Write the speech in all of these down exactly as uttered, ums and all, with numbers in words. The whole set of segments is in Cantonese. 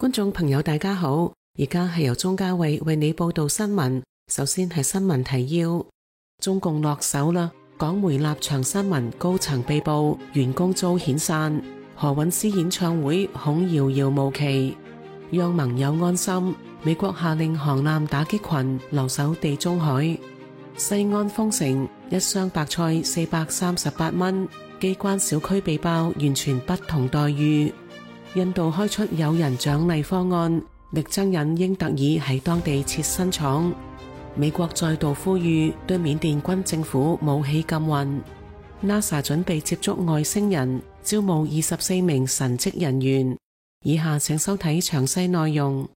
觀眾朋友大家好，而家係由鍾嘉慧為你報道新聞。首先係新聞提要：中共落手啦，港媒立場新聞高層被捕，員工遭遣散。何韻詩演唱會恐遙遙無期，讓盟友安心。美國下令航艦打擊群留守地中海。西安封城，一箱白菜四百三十八蚊，機關小區被爆，完全不同待遇。印度開出有人獎勵方案，力爭引英特爾喺當地設新廠。美國再度呼籲對緬甸軍政府武器禁運。NASA 準備接觸外星人，招募二十四名神職人員。以下請收睇詳細內容。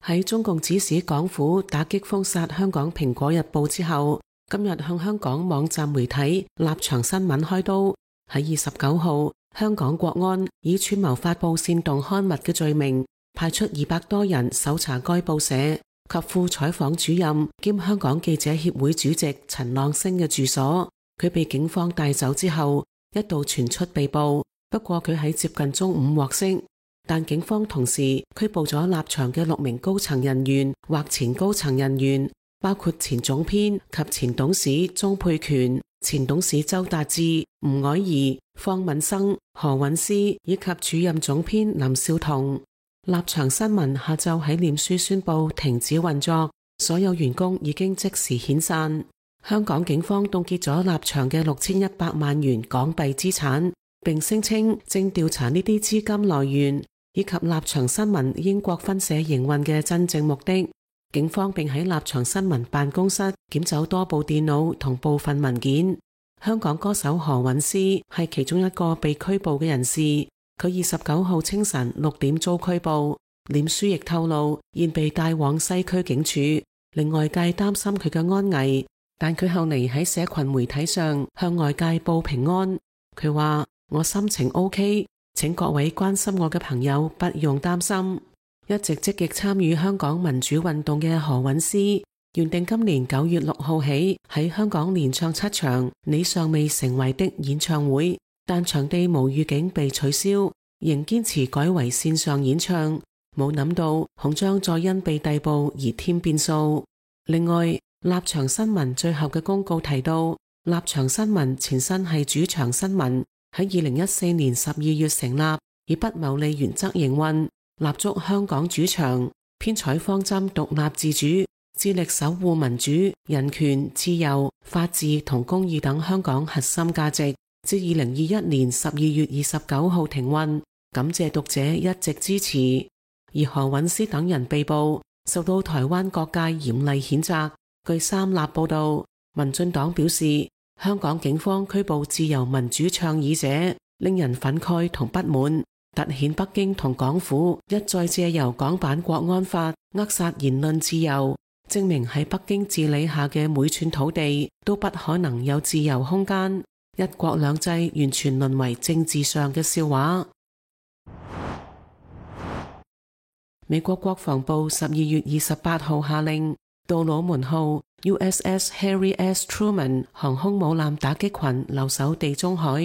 喺中共指使港府打擊封殺香港蘋果日報之後，今日向香港網站媒體立場新聞開刀。喺二十九號，香港國安以串謀發佈煽動刊物嘅罪名，派出二百多人搜查該報社及副採訪主任兼香港記者協會主席陳朗昇嘅住所。佢被警方帶走之後，一度傳出被捕，不過佢喺接近中午獲釋。但警方同時拘捕咗立場嘅六名高層人員或前高層人員，包括前總編及前董事鍾沛權、前董事周達志、吳靄儀、方敏生、何韻詩以及主任總編林少彤。立場新聞下晝喺臉書宣布停止運作，所有員工已經即時遣散。香港警方凍結咗立場嘅六千一百萬元港幣資產，並聲稱正調查呢啲資金來源以及立場新聞英國分社營運嘅真正目的。警方並喺立場新聞辦公室檢走多部電腦同部分文件。香港歌手何韻詩係其中一個被拘捕嘅人士，佢二十九號清晨六點遭拘捕。臉書亦透露現被帶往西區警署，令外界擔心佢嘅安危。但佢後嚟喺社群媒體上向外界報平安。佢話：我心情 OK， 請各位關心我嘅朋友不用擔心。一直積極參與香港民主運動嘅何韻詩，原定今年九月六號起喺香港連唱七場你尚未成為的演唱會，但場地無預警被取消，仍堅持改為線上演唱。冇諗到恐將再因被逮捕而添變數。另外，立場新聞最後嘅公告提到，立場新聞前身係主場新聞，喺二零一四年十二月成立，以不牟利原則營運，立足香港主場，編採方針獨立自主，致力守護民主、人權、自由、法治同公義等香港核心價值。至二零二一年十二月二十九號停運，感謝讀者一直支持。而何韻詩等人被捕，受到台灣各界嚴厲譴責。據三立報道，民進黨表示，香港警方拘捕自由民主倡議者，令人憤慨同不滿，凸顯北京同港府一再借由港版國安法扼殺言論自由，證明喺北京治理下嘅每寸土地都不可能有自由空間，一國兩制完全淪為政治上嘅笑話。美國國防部十二月二十八號下令，杜魯門號 U S S Harry S. Truman 航空母艦打擊群留守地中海，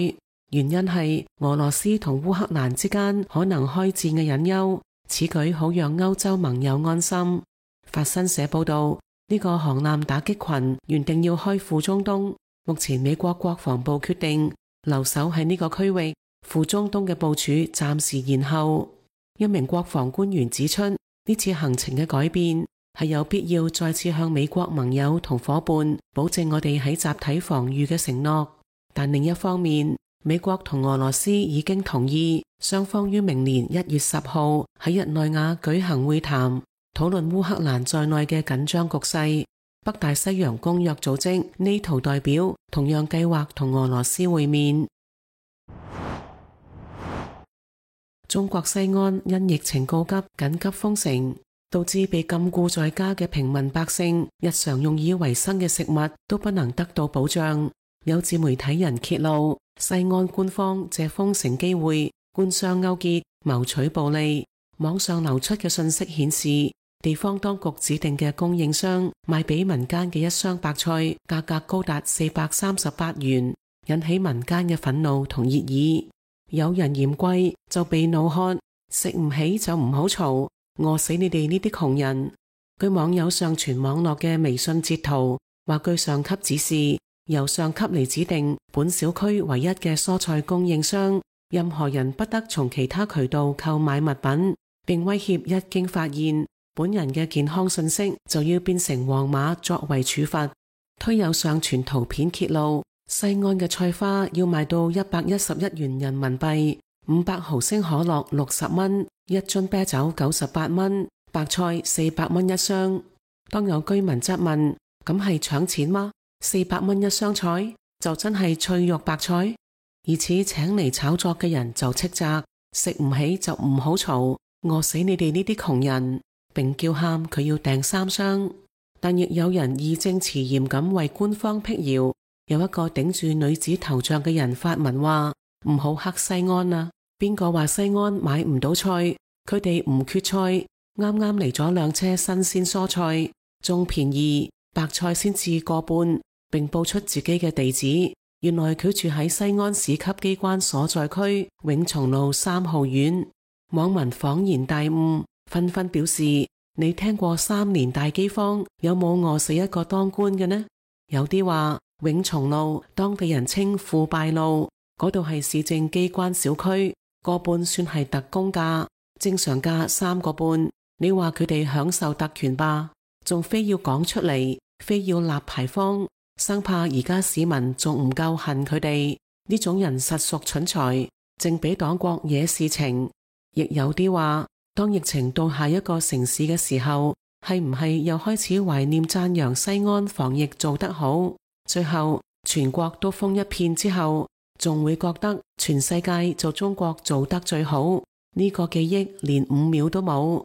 原因係俄羅斯同烏克蘭之間可能開戰嘅隱憂，此舉好讓歐洲盟友安心。法新社報道，呢個航艦打擊群原定要開赴中東，目前美國國防部決定留守喺呢個區域，赴中東嘅部署暫時延後。一名國防官員指出，呢次行程嘅改變係有必要再次向美國盟友同伙伴保證我哋喺集體防禦嘅承諾。但另一方面，美國同俄羅斯已經同意雙方於明年一月十號喺日內瓦舉行會談，討論烏克蘭在內嘅緊張局勢。北大西洋公約組織 NATO 代表同樣計劃同俄羅斯會面。中國西安因疫情告急，緊急封城，導致被禁錮在家嘅平民百姓日常用以維生嘅食物都不能得到保障。有自媒體人揭露，西安官方借封城機會官商勾結，謀取暴利。網上流出嘅信息顯示，地方當局指定嘅供應商賣俾民間嘅一箱白菜價格高達四百三十八元，引起民間嘅憤怒同熱議。有人嫌貴就被怒喝，食唔起就唔好嘈，餓死你哋呢啲窮人。據網友上傳網絡嘅微信截圖，話據上級指示，由上級嚟指定本小區唯一嘅蔬菜供應商，任何人不得從其他渠道購買物品，並威脅一經發現本人嘅健康信息就要變成黃碼作為處罰。推有上傳圖片揭露，西安嘅菜花要賣到一百一十一元人民幣，五百毫升可樂六十蚊，一樽啤酒九十八蚊，白菜四百蚊一箱。當有居民質問，咁係搶錢嗎？四百蚊一箱菜就真係脆肉白菜？而此請嚟炒作嘅人就斥責，食唔起就唔好嘈，餓死你哋呢啲窮人，並叫喊佢要訂三箱。但亦有人義正辭嚴咁為官方闢謠，有一個頂住女子頭像嘅人發文話：唔好黑西安啊！邊個話西安買唔到菜？佢哋唔缺菜，啱啱嚟咗兩車新鮮蔬菜，仲便宜，白菜先至個半，並報出自己嘅地址。原來佢住喺西安市級機關所在區永松路三號院。網民恍然大悟，紛紛表示：你聽過三年大饑荒有冇餓死一個當官嘅呢？有啲話永松路當地人稱腐敗路，嗰度係市政機關小區，個半算係特工價，正常價三個半。你話佢哋享受特權吧，仲非要講出嚟，非要立牌坊，生怕而家市民仲唔夠恨佢哋。呢種人實屬蠢材，正俾黨國惹事情。亦有啲話，當疫情到下一個城市嘅時候，係唔係又開始懷念讚揚西安防疫做得好？最後全國都封一片之後，仲會覺得全世界就中國做得最好？呢個記憶連五秒都冇。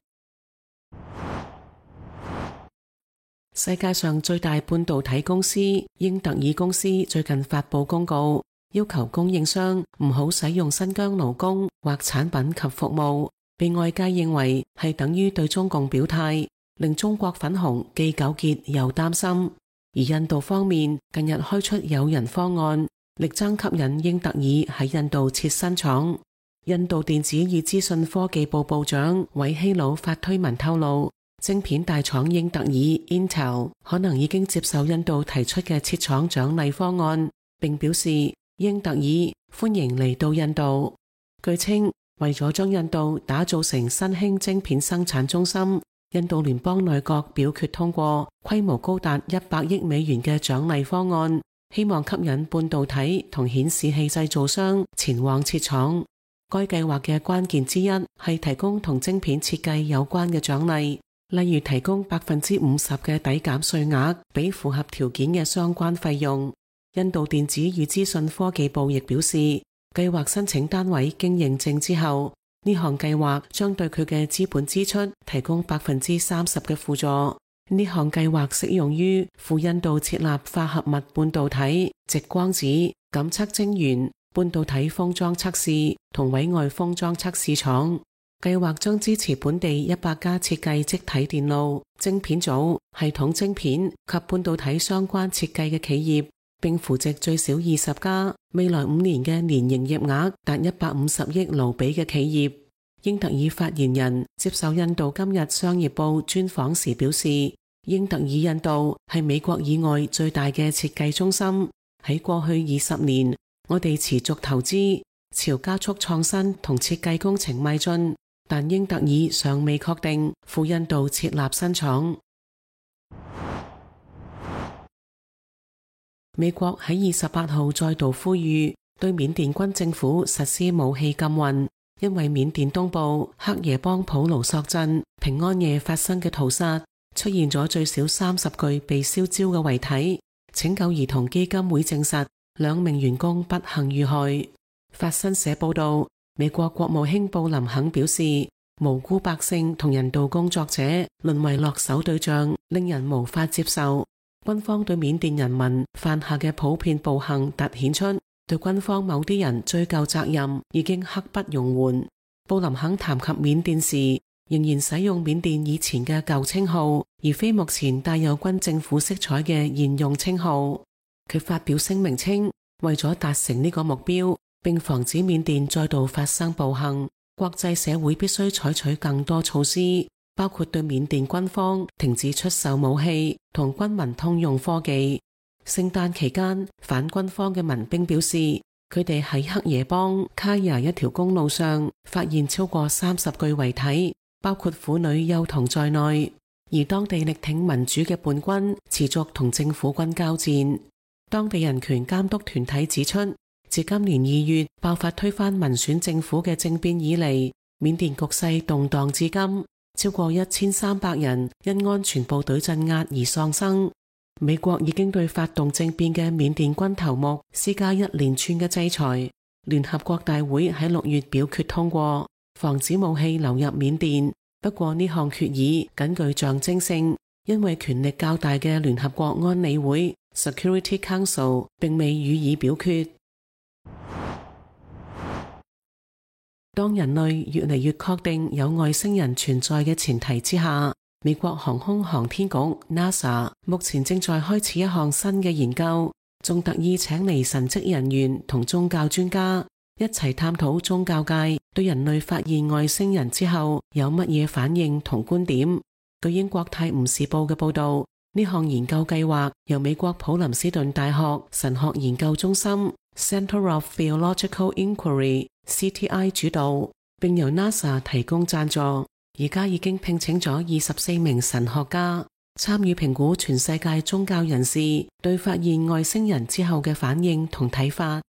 世界上最大半導體公司英特爾公司最近發佈公告，要求供應商唔好使用新疆勞工或產品及服務，被外界認為係等於對中共表態，令中國粉紅既糾結又擔心。而印度方面近日開出誘人方案，力爭吸引英特爾喺印度設新廠。印度電子與資訊科技部部長韋希魯發推文透露，晶片大廠英特爾 Intel 可能已經接受印度提出嘅設廠獎勵方案，並表示英特爾歡迎嚟到印度。據稱，為咗將印度打造成新興晶片生產中心，印度聯邦內閣表決通過規模高達一百億美元嘅獎勵方案，希望吸引半導體同顯示器製造商前往設廠。該計劃嘅關鍵之一係提供同晶片設計有關嘅獎勵，例如提供百分之五十嘅抵減稅額俾符合條件嘅相關費用。印度電子與資訊科技部亦表示，計劃申請單位經認證之後，呢項計劃將對佢嘅資本支出提供百分之三十嘅輔助。呢項計劃適用於赴印度設立化合物半導體、直光子、感測晶圓、半導體封裝測試同委外封裝測試廠。計劃將支持本地一百家設計積體電路、晶片組、系統晶片及半導體相關設計嘅企業，並扶植最少二十家，未來五年嘅年營業額達一百五十億盧比嘅企業。英特爾發言人接受印度今日商業報專訪時表示，英特爾印度係美國以外最大嘅設計中心。喺過去二十年，我哋持續投資，朝加速創新同設計工程邁進，但英特爾尚未確定赴印度設立新廠。美國喺二十八號再度呼籲對緬甸軍政府實施武器禁運，因為緬甸東部克耶邦普盧索鎮平安夜發生嘅屠殺，出現咗最少三十具被燒焦嘅遺體。拯救兒童基金會證實兩名員工不幸遇害。法新社報道，美國國務卿布林肯表示，無辜百姓同人道工作者淪為落手對象，令人無法接受。軍方對緬甸人民犯下嘅普遍暴行凸顯出對軍方某啲人追究責任已經刻不容緩。布林肯談及緬甸時，仍然使用緬甸以前嘅舊稱號，而非目前帶有軍政府色彩嘅現用稱號。佢發表聲明稱，為咗達成呢個目標，並防止緬甸再度發生暴行，國際社會必須採取更多措施，包括對緬甸軍方停止出售武器同軍民通用科技。聖誕期間，反軍方嘅民兵表示，佢哋喺黑耶邦卡亞一條公路上發現超過三十具遺體，包括婦女幼童在內。而當地力挺民主嘅叛軍持續同政府軍交戰。當地人權監督團體指出，自今年二月爆發推翻民選政府嘅政變以嚟，緬甸局勢動盪至今，超過一千三百人因安全部隊鎮壓而喪生。美國已經對發動政變嘅緬甸軍頭目施加一連串嘅制裁。聯合國大會喺六月表決通過，防止武器流入緬甸。不過呢項決議僅具象徵性，因為權力較大嘅聯合國安理會 Security Council 並未予以表決。當人類越嚟越確定有外星人存在嘅前提之下，美國航空航天局 NASA 目前正在開始一項新嘅研究，仲特意請嚟神職人員同宗教專家一齊探討宗教界對人類發現外星人之後有乜嘢反應同觀點。據英國泰晤士報嘅報道，呢項研究計劃由美國普林斯頓大學神學研究中心 Center of Theological Inquiry C T I 主導，並由 NASA 提供贊助。而家已經聘請咗二十四名神學家參與評估全世界宗教人士對發現外星人之後嘅反應同睇法。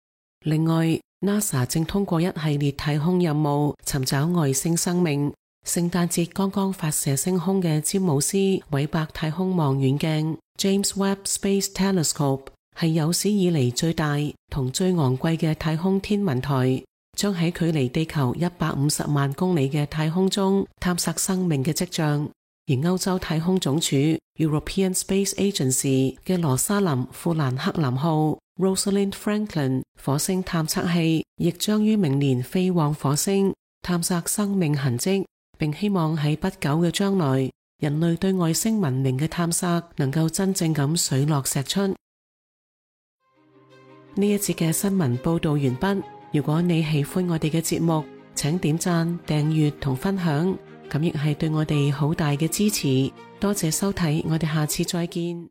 另外NASA 正通過一系列太空任務尋找外星生命。聖誕節剛剛發射升空嘅詹姆斯韋伯太空望遠鏡 James Webb Space Telescope 係有史以嚟最大同最昂貴嘅太空天文台，將喺距離地球一百五十萬公里嘅太空中探索生命嘅跡象。而歐洲太空總署 European Space Agency 嘅羅莎琳富蘭克林號 Rosalind Franklin 火星探測器亦將於明年飛往火星探索生命痕跡，並希望喺不久嘅將來，人類對外星文明嘅探索能夠真正咁水落石出。呢一節嘅新聞報道完畢。如果你喜歡我哋嘅節目，請點讚、訂閱同分享，咁亦係對我哋好大嘅支持。多謝收睇，我哋下次再見。